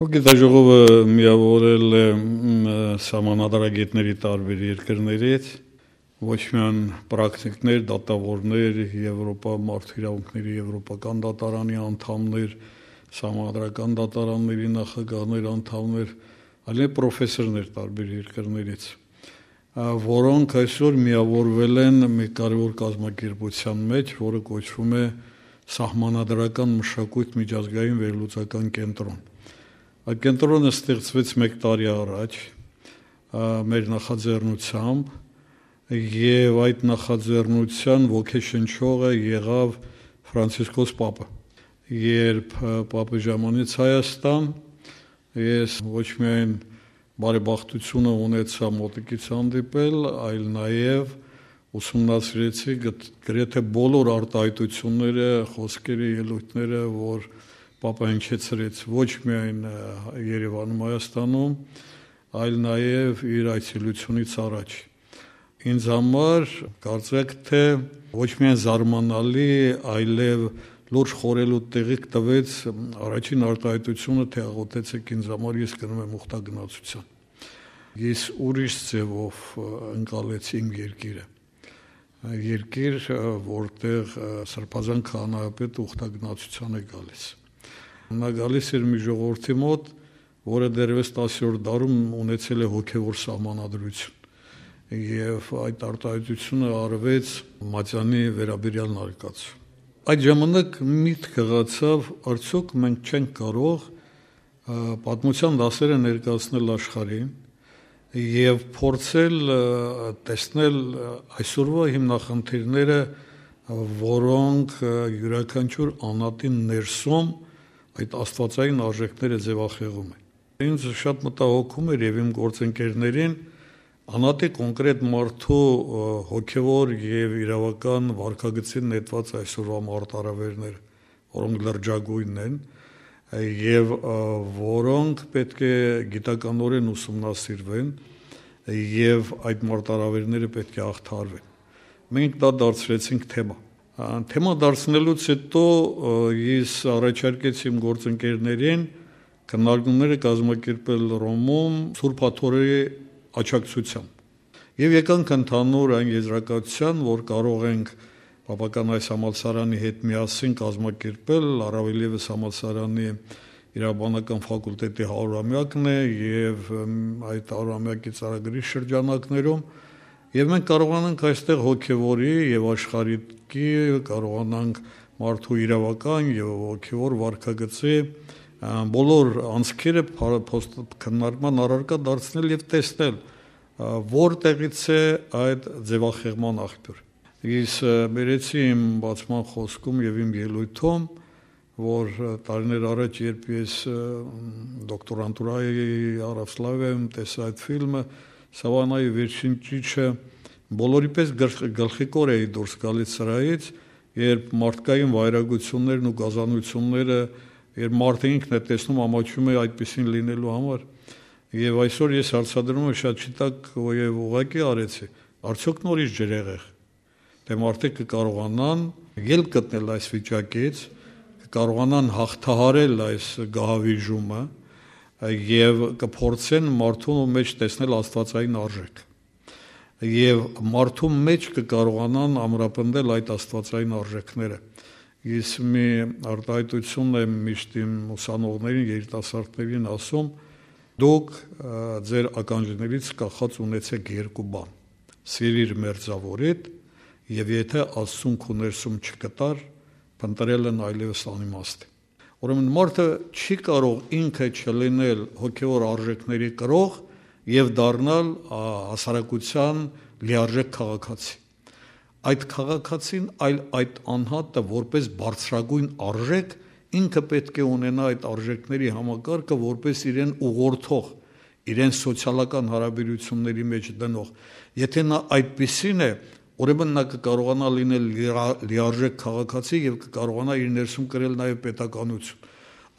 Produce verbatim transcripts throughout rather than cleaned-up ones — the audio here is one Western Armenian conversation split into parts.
Գիտաժողովը միաւորել է, մ, սահմանադրագետների տարբեր երկրներից, ոչ միայն պրակտիկներ, դատաւորներ, Եվրոպա, մարդու իրաւունքների Եվրոպական դատարանի անդամներ, սահմանադրական դատարանների նախագահներ, անդամներ, այլեւ պրոֆեսորներ տարբեր երկրներից, ա, որոնք այսօր միաւորվել են մի կարեւոր կազմակերպութեան մէջ, որը կոչվում է Սահմանադրական մշակոյթ միջազգային վերլուծական կենտրոն։ Այդ կենտրոնը ստեղծվեց մէկ տարի առաջ, ա, մեր նախաձեռնությամբ, եւ այդ նախաձեռնության ոգեշնչողը եղաւ Ֆրանցիսկոս Պապը։ Երբ, ա, Պապը ժամանեց Հայաստան, ես ոչ միայն բարեբախտությունը ունեցայ մոտիկից հանդիպել, այլ նաեւ ուսումնասիրեցի գտ-, գրեթե բոլոր արտահայտությունները, խոսքերը, ելոյթները, որ Պապը հնչեցրեց ոչ միայն, ը, Երեւանում, Հայաստանում, այլ նաեւ իր այցելությունից առաջ։ Ինձ համար կարծեք թէ ոչ միայն զարմանալի, այլեւ լուրջ խորհելու տեղիք տուեց առաջին արտահայտությունը, թէ աղօթեցեք ինձ համար, ես գնում եմ ուխտագնացության։ Ես ուրիշ ձևով, ը, ընկալեցի իմ երկիրը։ Երկիր, ը, որտեղ, ը, Սրբազան քահանայապետը ուխտագնացության է գալիս։ Նա գալիս էր մի ժողովրդի մօտ, որը դեռեւս տասերորդ դարում ունեցել է հոգեւոր սահմանադրություն։ Եւ այդ արտահայտությունը արվեց Մատեանի վերաբերյալ նարկածը։ Այդ ժամանակ միտք եղածաւ, արդյոք մենք չենք կարող, ը, պատմության դասերը ներկայացնել աշխարհին եւ փորձել, ը, տեսնել, ը, այսօրվա հիմնախնդիրները, ը, որոնք, ը, իւրաքանչիւր անհատին ներսում այդ աստուածային արժեքները ձեւախեղում է։ Ինձ շատ մտահոգում էր եւ իմ գործընկերներին անհատի կոնկրետ մարդու, ը, հոգեւոր եւ իրաւական վարքագծին նետուած այսօրվա մարտարավերներ, որոնք լրջագույնն են, ը, եւ, ը, որոնք պէտք է գիտականորեն ուսումնասիրուեն, ը, եւ այդ մարտարավերները պէտք է յաղթարուեն։ Մենք դա դարձրեցինք թեմա։ Ա, թեմա դարձնելուց յետոյ, ը, ես առաջարկեցի իմ գործընկերներին քննարկումները կազմակերպել Ռոմում Սուրբ Աթոռի աջակցությամբ։ Եւ եկանք ընդհանուր այն եզրակացութեան, որ կարող ենք պապական այս համալսարանի հետ միասին կազմակերպել, առավել եւս համալսարանի իրավաբանական ֆակուլտետի հարյուրամեակն է եւ, ըմ, այդ հարյուրամեակի ծրագրի շրջանակներում, եւ մենք կարողանանք այստեղ հոգեվորի եւ աշխարհիկի, կարողանանք մարդու իրաւական եւ հոգեվոր վարքագծի, ա, բոլոր անցքերը փա-, փոստ-, քննարկման առարկա դարձնել եւ տեսնել, ա, որտեղից է այդ ձեւախեղման աղբյուր։ Ես, ը, բերեցի իմ բացման խոսքում եւ իմ ելոյթում, որ, ը, տարիներ առաջ, երբ ես, ը, դոկտորանտուրայի Արավսլավիայում տեսա այդ ֆիլմը, Սավանայի վերջին ճիչը, բոլորի պես գլխ-, գլխիկոր էի դուրս գալիս սրահից, երբ մարդկային վայրագություններն ու գազանությունները, երբ մարդը ինքն է տեսնում, ամաչում է այդպիսին լինելու համար։ Եւ այսօր ես հարցադրում եմ, շատ չի տակ, որ եւ ուղղակի արեցի, արդյոք նորից ջրեղեղ, թէ մարդիկ կը կարողանան ելք գտնել այս վիճակից, կը կարողանան հաղթահարել այս գահավիժումը եւ կփորձեն մարդու մեջ տեսնել աստվածային արժեք։ Եւ մարդու մեջ կը կարողանան ամրապնդել այդ աստվածային արժեքները։ Ես մի արտահայտություն եմ միշտ իմ ուսանողներին, երիտասարդներին ասում, դուք, ը, ձեր ականջներից կախած ունեցեք երկու բան. սիրիր մերձավորիդ, եւ եթե Աստծուն քու ներսում չկտար, փնտրելն այլեւս անիմաստ է։ Ուրեմն մարդը չի կարող ինքը չլինել հոգեոր արժեքների կրող եւ դառնալ, ա, հասարակության լիարժեք քաղաքացի։ Այդ քաղաքացին, այլ այդ անհատը որպես բարձրագույն արժեք, ինքը պէտք է ունենայ այդ արժեքների համակարգը որպես իրեն ուղղորդող, իրեն սոցիալական հարաբերությունների մեջ դնող։ Եթե նա այդպիսին է, ուրեմն նա կկարողանա լինել լիա-, լիարժեք քաղաքացի եւ կկարողանա իր ներսում կրել նաեւ պետականություն։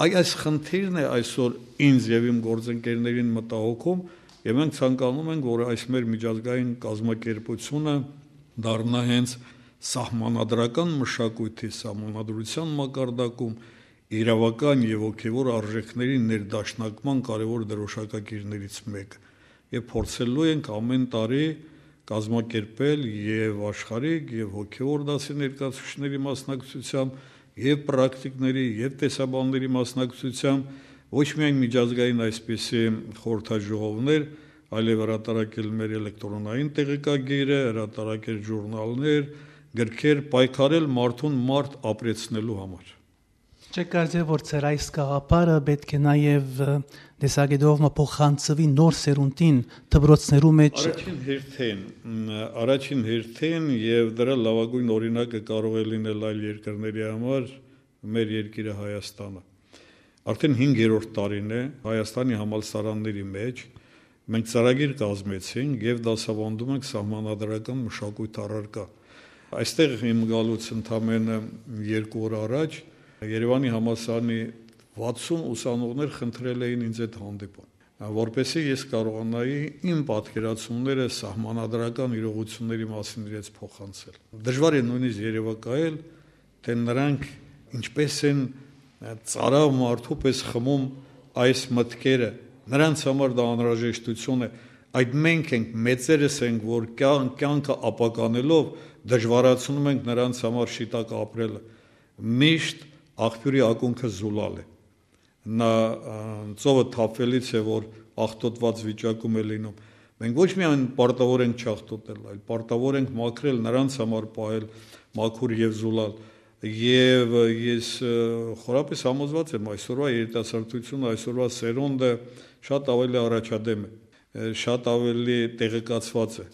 Այ այս խնդիրն է այսօր ինձ եւ իմ գործընկերներին մտահոգում, եւ մենք ցանկանում ենք, որ այս մեր միջազգային կազմակերպությունը դառնայ հենց սահմանադրական մշակոյթի, սահմանադրության մակարդակում իրաւական եւ հոգեւոր արժեքների ներդաշնակման կարեւոր դրօշակակիրներից մէկը, եւ փորձելու ենք ամէն տարի կազմակերպել եւ աշխարհիկ, եւ հոգեւոր դասի ներկայացուցիչների մասնակցությամբ, եւ պրակտիկների, եւ տեսաբանների մասնակցությամբ ոչ միայն միջազգային այսպիսի խորհրդաժողովներ, այլեւ հրատարակել մեր էլեկտրոնային տեղեկագիրը, հրատարակել ժուրնալներ, գրքեր, պայքարել մարդուն մարդ ապրեցնելու համար։ Չէ՞ կարծեր, որ ձեր այս գաղափարը պէտք է նաեւ, ը, տեսակետով մը փոխանցուի նոր սերունդին դպրոցներու մէջ։ Առաջին հերթին, մ, առաջին հերթին, եւ դրա լաւագոյն օրինակը կարող է լինել այլ երկրների համար, մեր երկիրը Հայաստանը։ Արդեն հինգերորդ տարին է Հայաստանի համալսարանների մէջ մենք ծրագիր կազմեցինք եւ դասաւանդում ենք սահմանադրական մշակոյթ առարկայ։ Այստեղ իմ գալուց ընդամենը երկու օր առաջ Երեւանի համալսարանի վաթսուն ուսանողներ խնդրել էին ինձ այդ հանդիպում, որպեսզի ես կարողանայի իմ պատկերացումները սահմանադրական իրողությունների մասին իրենց փոխանցել։ Դժուար է նույնիսկ երեւակայել, թե նրանք ինչպես են, ը, ծարաւ մարդու պես խմում այս մտքերը։ Նրանց համար դա անհրաժեշտություն է։ Այդ մենք ենք, մեծերս ենք, որ կյան-, կյանքը ապականելով դժվարացնում ենք նրանց համար շիտակ ապրելը։ Միշտ աղբիւրի ակունքը զուլալ է։ Նա, ը, ծովը թափվելից է, որ աղտոտված վիճակում է լինում։ Մենք ոչ միայն պարտավոր ենք չաղտոտել, այլ պարտավոր ենք մաքրել, նրանց համար պահել մաքուր եւ զուլալ։ Եւ, ը, ես, ը, խորապես համոզված եմ, այսօրվա երիտասարդությունը, այսօրվա սերունդը շատ ավելի առաջադեմ է, ը, շատ ավելի տեղեկացված է,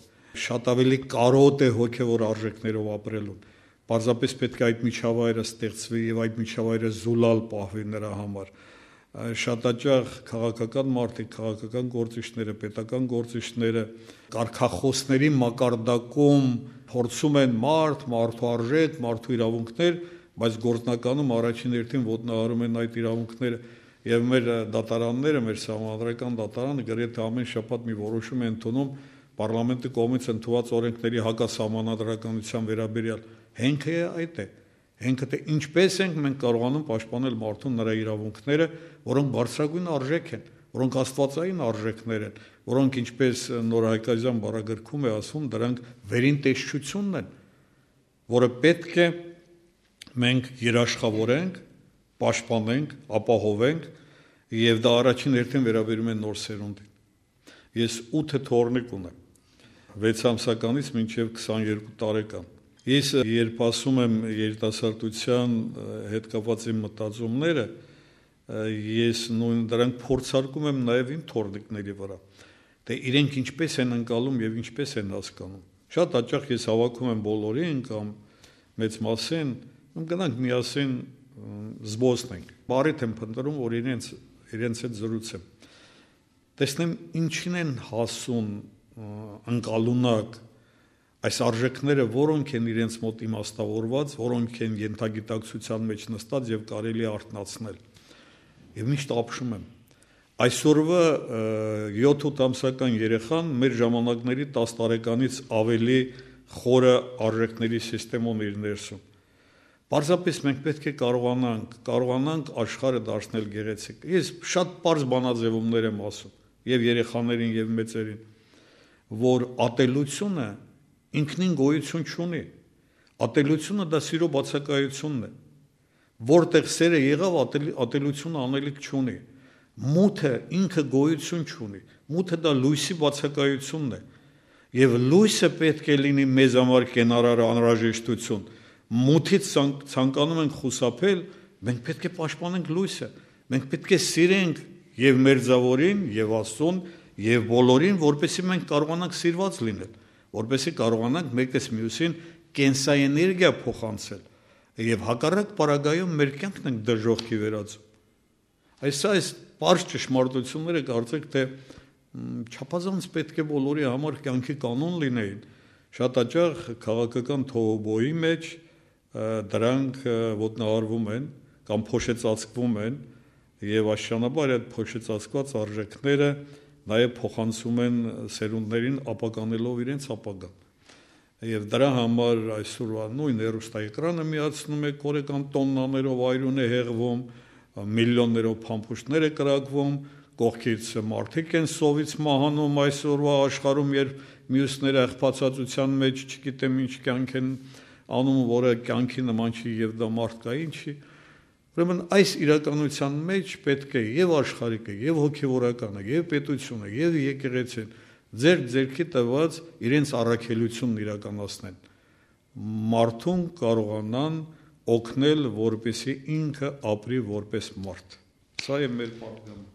շատ ավելի կարօտ է հոգեւոր արժեքներով ապրելուն։ Պարզապես պէտք է այդ միջավայրը ստեղծուի եւ այդ միջավայրը զուլալ պահուի նրա համար։ Ա, շատ հաճախ քաղաքական մարդիկ, քաղաքական գործիչները, պետական գործիչները կարգախոսների մակարդակում փորձում են մարդ, մարդու արժեք, մարդու իրաւունքներ, բայց գործնականում առաջին հերթին ոտնահարում են այդ իրաւունքները։ Եւ մեր, ը, դատարանները, մեր սահմանադրական դատարանը գրեթէ ամեն շաբաթ մի որոշում է ընդունում պառլամենտի կողմից ընդունած օրենքների հակասահմանադրականության վերաբերյալ։ Հենքը այդ է։ Հենքը, թե ինչպես ենք մենք կարողանում պաշտպանել մարդուն նրա իրաւունքները, որոնք բարձրագոյն արժեք են, որոնք աստուածային արժեքներ են, որոնք, ինչպես Նոր Հայկազեան բառագրքում է ասում, դրանք վերին տեսչությունն են, որը պէտք է մենք երաշխավորենք, պաշտպանենք, ապահովենք, եւ դա առաջին հերթին վերաբերում է նոր սերունդին։ Ես ութը թոռնիկ ունեմ, վեց ամսականից մինչեւ քսաներկու տարեկան։ Ես, երբ ասում եմ երիտասարդության, ը, հետ կապված իմ մտածումները, ը, ես նույն դրանք փորձարկում եմ նաեւ իմ թոռնիկների վրա, թե իրենք ինչպես են ընկալում եւ ինչպես են հասկանում։ Շատ հաճախ ես հավաքում եմ բոլորին կամ մեծ մասին, ում գնանք միասին, մ, զբոսնենք։ Բարիթ եմ փնտրում, որ իրենց, իրենց հետ զրուցեմ, տեսնեմ ինչին են հասուն, ը, ընկալունակ այս արժեքները, որոնք են իրենց մոտ իմաստավորված, որոնք են ենթագիտակցության մեջ նստած եւ կարելի է արթնացնել։ Եւ միշտ ապշում եմ։ Այսօրվա, ը, յոթ-ութ ամսական երեխան մեր ժամանակների տաս տարեկանից ավելի խորը արժեքների սիստեմ ունի իր ներսում։ Պարզապես մենք պէտք է կարողանանք, կարողանանք աշխարհը դարձնել գեղեցիկ։ Ես շատ պարզ բանաձևումներ եմ ասում, եւ երեխաներին, եւ մեծերին, որ ատելությունը ինքնին գոյություն չունի։ Ատելությունը դա սիրո բացակայությունն է։ Որտեղ սերը եղաւ, ատել-, ատելությունը անելիք չունի։ Մութը ինքը գոյություն չունի։ Մութը դա լոյսի բացակայությունն է։ Եւ լոյսը պէտք է լինի մեզ համար կենարար անհրաժեշտություն։ Մութից ցանկ-, ցանկանում ենք խուսափել, մենք պէտք է պաշտպանենք լոյսը։ Մենք պէտք է սիրենք եւ մերձաւորին, եւ Աստծուն, եւ բոլորին, որպեսզի մենք կարողանանք սիրված լինել, որպեսզի կարողանանք մեկս մյուսին կենսաէներգիա փոխանցել, եւ հակառակ պարագայում մեր կյանքն ենք դժոխքի վերածում։ Այս, այս պարզ ճշմարտությունները կարծեք, թե, մ, չափազանց պէտք է բոլորի համար կյանքի կանոն լինեին։ Շատ հաճախ քաղաքական թոհուբոյի մեջ, ը, դրանք, ը, ոտնահարվում են կամ փոշեցածկվում են, եւ աստիճանաբար այդ փոշեցածկված արժեքները նաեւ փոխանցում են սերունդներին, ապականելով իրենց ապագան։ Եւ դրա համար այսօրվա նույն հեռուստաէկրանը միացնում է կորեկան տոննաներով, այրուն է հեղվում, միլիոններով փամփուշտներ է կրակվում, կողքից մարդիկ են սովից մահանում այսօրվա աշխարհում, երբ միւսները աղբացածության մեջ չգիտեմ ինչ կյանք են անում, որը կյանքի նման չի եւ դա մարդկային չի։ Ուրեմն այս իրականության մեջ պետք է եւ աշխարհիկը, եւ հոգեվորականը, եւ պետությունը, եւ եկեղեցին ձեռք ձեռքի տված իրենց առաքելությունն իրականացնեն, մարդուն կարողանան օգնել, որպեսզի ինքը ապրի որպես մարդ։ Սա է մեր պատգամը։